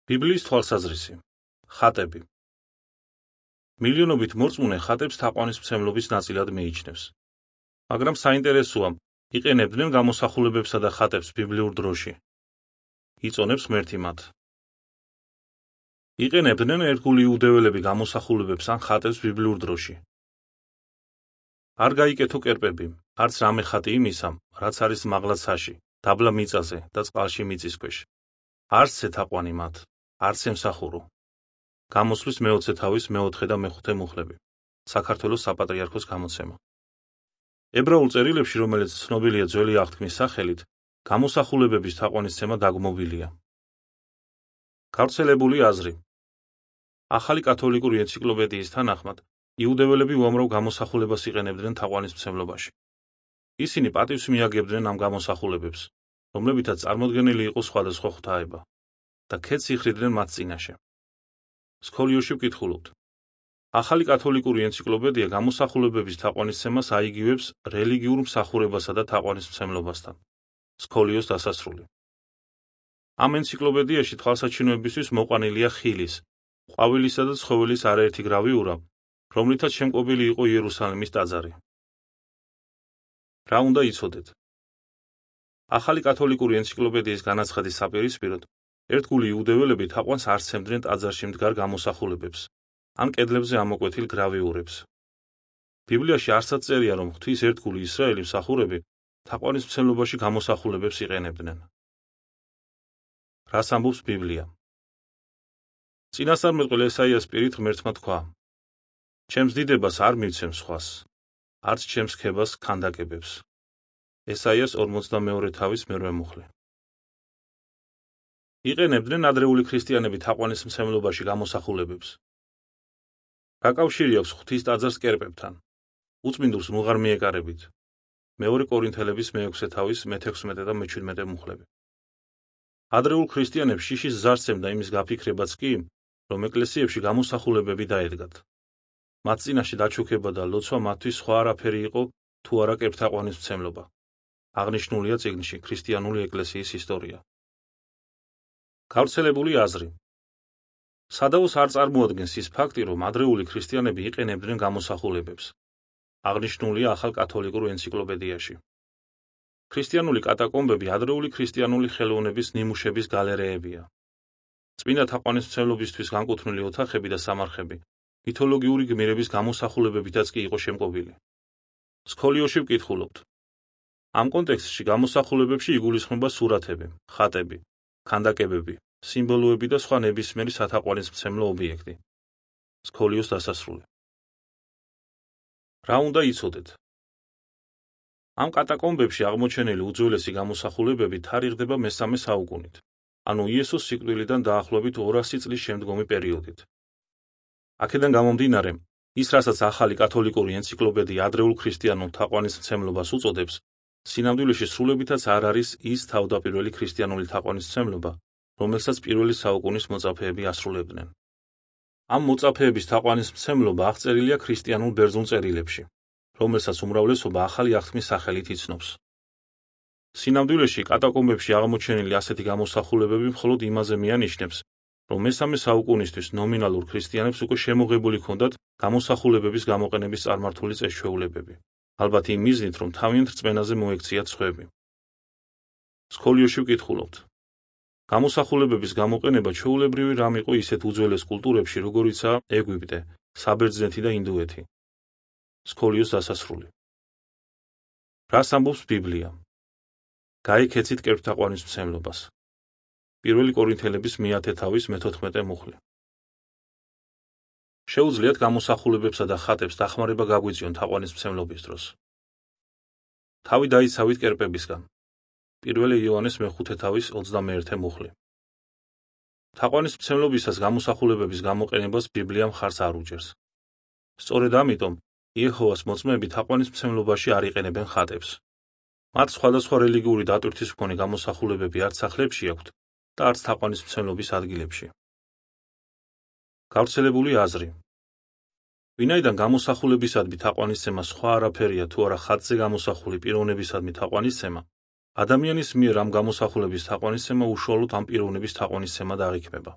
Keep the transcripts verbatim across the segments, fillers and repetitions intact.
ბიბლიის თვალსაზრისი. ხატები. მილიონობით მორწმუნე ხატებს თაყვანისმცემლობის ნაწილად მიიჩნევს. მაგრამ საინტერესოა, იყენებდნენ გამოსახულებებსა და ხატებს ბიბლიურ დროში. იწონებს ღმერთი მათ. იყენებდნენ ერთგული იუდეველები გამოსახულებებს ან ხატებს ბიბლიურ დროში. არ გაიკეთო კერპები, არც რამე ხატი იმისა, რაც არის მაღლა ცაში, დაბლა მიწაზე და წყალში მიწის ქვეშ. არც ეთაყვანი მათ, არც ემსახურო. გამოსვლის მეოცე თავის მეოთხე და მეხუთე მუხლები. საქართველოს საპატრიარქოს გამოცემა. ებრაულ წერილებში, რომელიც ცნობილია ძველი აღთქმის სახელით, გამოსახულებების თაყვანისცემა დაგმობილია. გავრცელებული აზრი. ახალი კათოლიკური ენციკლოპედიის თანახმად, იუდეველები უამრავ გამოსახულებას იყენებდნენ თაყვანისმცემლობაში. ისინი პატივს მიაგებდნენ ამ გამოსახულებებს, რომლებითაც წარმოდგენილი იყო სხვადასხვა ღვთაება და ქეთს იხრიდნენ მათ წინაშე. სქოლიოში ვკითხულობთ. ახალი კათოლიკური ენციკლოპედია გამოსახულებების თაყვანისცემას აიგივებს რელიგიურ მსახურებასა და თაყვანისმცემლობასთან. სქოლიოს დასასრული. ამ ენციკლოპედიაში თვალსაჩინოებისთვის მოყვანილია ხილის, ყვავილისა და ცხოველის არაერთი გრავიურა, რომლითაც შემკობილი იყო იერუსალიმის ტაძარი. რა უნდა იცოდეთ? ახალი კათოლიკური ენციკლოპედიის განაცხადის საპირისპიროდ, ერთგული იუდეველები თაყვანს არ სცემდნენ ტაძარში მდგარ გამოსახულებებს, ან კედლებზე ამოკვეთილ გრავიურებს. ბიბლიაში არსად წერია, რომ ღვთის ერთგული ისრაელი მსახურები თაყვანისმცემლობაში გამოსახულებებს იყენებდნენ. რას ამბობს ბიბლია? წინასწარმეტყველ ესაიას პირით ღმერთმა თქვა: ჩემს დიდებას არ მივცემ სხვას, არც ჩემს ქებას ქანდაკებებს. ესაიას ორმოცდამეორე თავის მერვე მუხლი. იყენებდნენ ადრეული ქრისტიანები თაყვანისმცემლობაში გამოსახულებებს. რა კავშირი აქვს ღვთის ტაძარს კერპებთან? უწმინდურს მუღარ მიეკარებით. მეორე კორინთელების მეექვსე თავის მეთექვსმეტე და მეჩვიდმეტე მუხლები. ადრეულ ქრისტიანებს შიშის ზარს ემდა იმის გაფიქრებაც კი, რომ ეკლესიებში გამოსახულებები დაედგათ. მათ წინაშე დაჩუქება და ლოცვა მათთვის სხვა არაფერი იყო, თუ არა კერპთაყვანისმცემლობა. აღნიშნულია წიგნში ქრისტიანული ეკლესიის ისტორია. გავრცელებული აზრი. სადაოს არ წარმოადგენს ის ფაქტი, რომ ადრეული ქრისტიანები იყენებდნენ გამოსახულებებს. აღნიშნულია ახალ კათოლიკურ ენციკლოპედიაში. ქრისტიანული კატაკომბები ადრეული ქრისტიანული ხელოვნების ნიმუშების გალერეებია. წმინდა თაყვანისმცემლობისთვის განკუთვნილი ოთახები და სამარხები მითოლოგიური გმირების გამოსახულებებითაც კი იყო შემკობილი. სქოლიოში ვკითხულობთ. ამ კონტექსტში გამოსახულებებში იგულისხმება სურათები, ხატები, ქანდაკებები, სიმბოლოები და სხვა ნებისმიერი სათაყვანისმცემლო ობიექტი. სქოლიოს დასასრული. რა უნდა იცოდეთ? ამ კატაკომბებში აღმოჩენილი უძველესი გამოსახულებები თარიღდება მესამე საუკუნით, ანუ იესოს სიკვდილიდან დაახლოებით ორასი წლის შემდგომი პერიოდით. აქედან გამომდინარე, ის რასაც ახალი კათოლიკური ენციკლოპედია ადრეულ ქრისტიანულ თაყვანისმცემლობას უწოდებს, სინამდვილეში სრულებითაც არ არის ის თავდაპირველი ქრისტიანული თაყვანისმცემლობა, რომელსაც პირველი საუკუნის მოწაფეები ასრულებდნენ. ამ მოწაფეების თაყვანისმცემლობა აღწერილია ქრისტიანულ ბერძნულ წერილებში, რომელსაც უმრავლესობა ახალი აღთქმის სახელით იცნობს. სინამდვილეში კატაკომბებში აღმოჩენილი ასეთი გამოსახულებები მხოლოდ იმაზე მიანიშნებს, რომ მესამე საუკუნისთვის ნომინალურ ქრისტიანებს უკვე შემოღებული ჰქონდათ გამოსახულებების გამოყენების წარმართული წესჩვეულებები. ალბათ იმ მიზნით, რომ თავიანთ რწმენაზე მოექციათ სხვები. სქოლიოში ვკითხულობთ. გამოსახულებების გამოყენება ჩვეულებრივი რამ იყო ისეთ უძველეს კულტურებში, როგორიცაა ეგვიპტე, საბერძნეთი და ინდოეთი. სქოლიოს დასასრული. რას ამბობს ბიბლია? გაიქეცით კერპთაყვანისმცემლობას. პირველი კორინთელების მეათე თავის მეთოთხმეტე მუხლი. შეუძლიათ გამოსახულებებსა და ხატებს დახმარება გაგვიწიონ თაყვანისმცემლობის დროს. თავი დაიცავით კერპებისგან. პირველი იოანეს მეხუთე თავის ოცდამეერთე მუხლი. თაყვანისმცემლობისას გამოსახულებების გამოყენებას ბიბლია მხარს არ უჭერს. სწორედ ამიტომ იეჰოვას მოწმეები თაყვანისმცემლობაში არ იყენებენ ხატებს. მათ სხვადასხვა რელიგიური დატვირთვის მქონე გამოსახულებები არც სახლებში აქვთ და არც თაყვანისმცემლობის ადგილებში. გავრცელებული აზრი. ვინაიდან გამოსახულებისადმი თაყვანისცემა სხვა არაფერია თუ არა ხატზე გამოსახული პიროვნებისადმი თაყვანისცემა, ადამიანის მიერ ამ გამოსახულების თაყვანისცემა უშუალოდ ამ პიროვნების თაყვანისცემად აღიქმება.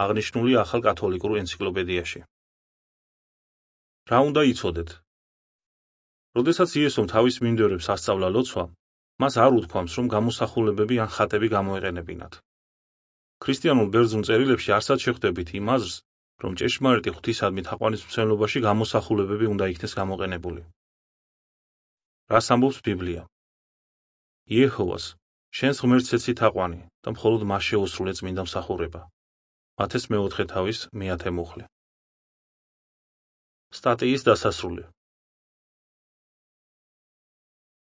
აღნიშნული ახალ კათოლიკურ ენციკლოპედიაში. რა უნდა იცოდეთ? როდესაც იესომ თავის მიმდევრებს ასწავლა ლოცვა, მას არ უთქვამს, რომ გამოსახულებები ან ხატები გამოეყენებინათ. ქრისტიანულ ბერძნულ წერილებში არსად შეხვდებით იმ აზრს, რომ ჭეშმარიტი ღვთისადმი თაყვანისმცემლობაში გამოსახულებები უნდა იქნეს გამოყენებული. რას ამბობს ბიბლია? იეჰოვას, შენს ღმერთს ეცი თაყვანი და მხოლოდ მას შეუსრულე წმინდა მსახურება. მათეს მეოთხე თავის მეათე მუხლი. სტატიის დასასრული.